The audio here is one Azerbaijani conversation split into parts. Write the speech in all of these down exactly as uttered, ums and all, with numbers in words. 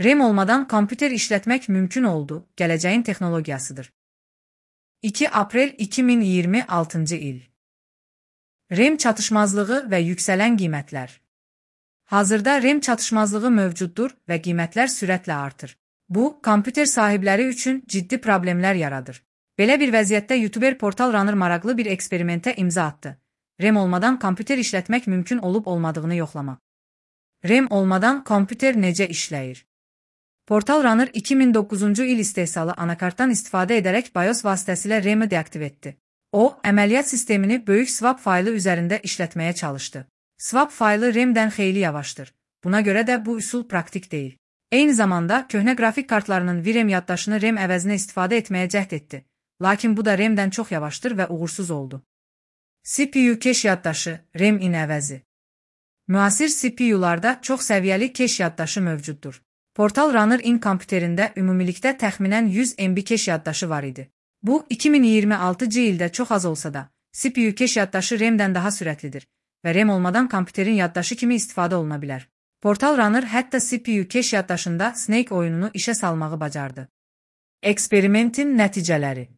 RAM olmadan kompüter işletmek mümkün oldu, geleceğin teknolojisidir. iki Aprel iki min iyirmi altıncı il. RAM çatışmazlığı ve yükselen qiymətlər. Hazırda RAM çatışmazlığı mövcuddur və qiymətlər sürətlə artır. Bu, kompüter sahibləri üçün ciddi problemlər yaradır. Belə bir vəziyyətdə YouTuber Portal Runner maraqlı bir eksperimentə imza atdı. RAM olmadan kompüter işlətmək mümkün olub olmadığını yoxlamaq. RAM olmadan kompüter necə işləyir? Portal Runner iki min doqquzuncu il istehsalı anakartdan istifadə edərək BIOS vasitəsilə RAM-ı deaktiv etdi. O, əməliyyat sistemini böyük swap faylı üzərində işlətməyə çalışdı. Swap faylı RAM-dən xeyli yavaşdır. Buna görə də bu üsul praktik deyil. Eyni zamanda, köhnə qrafik kartlarının V RAM yaddaşını RAM əvəzinə istifadə etməyə cəhd etdi. Lakin bu da RAM-dən çox yavaşdır və uğursuz oldu. C P U keş yaddaşı, RAM-in əvəzi. Müasir C P U-larda çox səviyyəli keş yaddaşı mövcuddur. Portal Runner-in kompüterində ümumilikdə təxminən yüz M B keş yaddaşı var idi. Bu, iki min iyirmi altıncı ildə çox az olsa da, C P U keş yaddaşı RAM-dən daha sürətlidir və RAM olmadan kompüterin yaddaşı kimi istifadə oluna bilər. Portal Runner hətta C P U keş yaddaşında Snake oyununu işə salmağı bacardı. Eksperimentin nəticələri.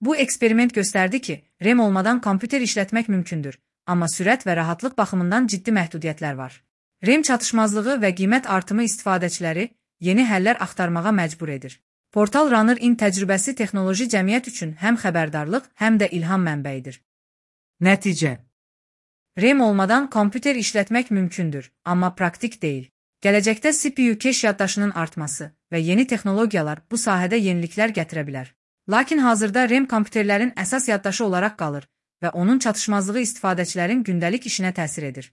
Bu eksperiment göstərdi ki, RAM olmadan kompüter işlətmək mümkündür, amma sürət və rahatlıq baxımından ciddi məhdudiyyətlər var. RAM çatışmazlığı və qiymət artımı istifadəçiləri yeni həllər axtarmağa məcbur edir. Portal Runner-in təcrübəsi texnoloji cəmiyyət üçün həm xəbərdarlıq, həm də ilham mənbəyidir. Nəticə. RAM olmadan kompüter işlətmək mümkündür, amma praktik deyil. Gələcəkdə C P U keş yaddaşının artması və yeni texnologiyalar bu sahədə yeniliklər gətirə bilər. Lakin hazırda RAM kompüterlərin əsas yaddaşı olaraq qalır və onun çatışmazlığı istifadəçilərin gündəlik işinə təsir edir.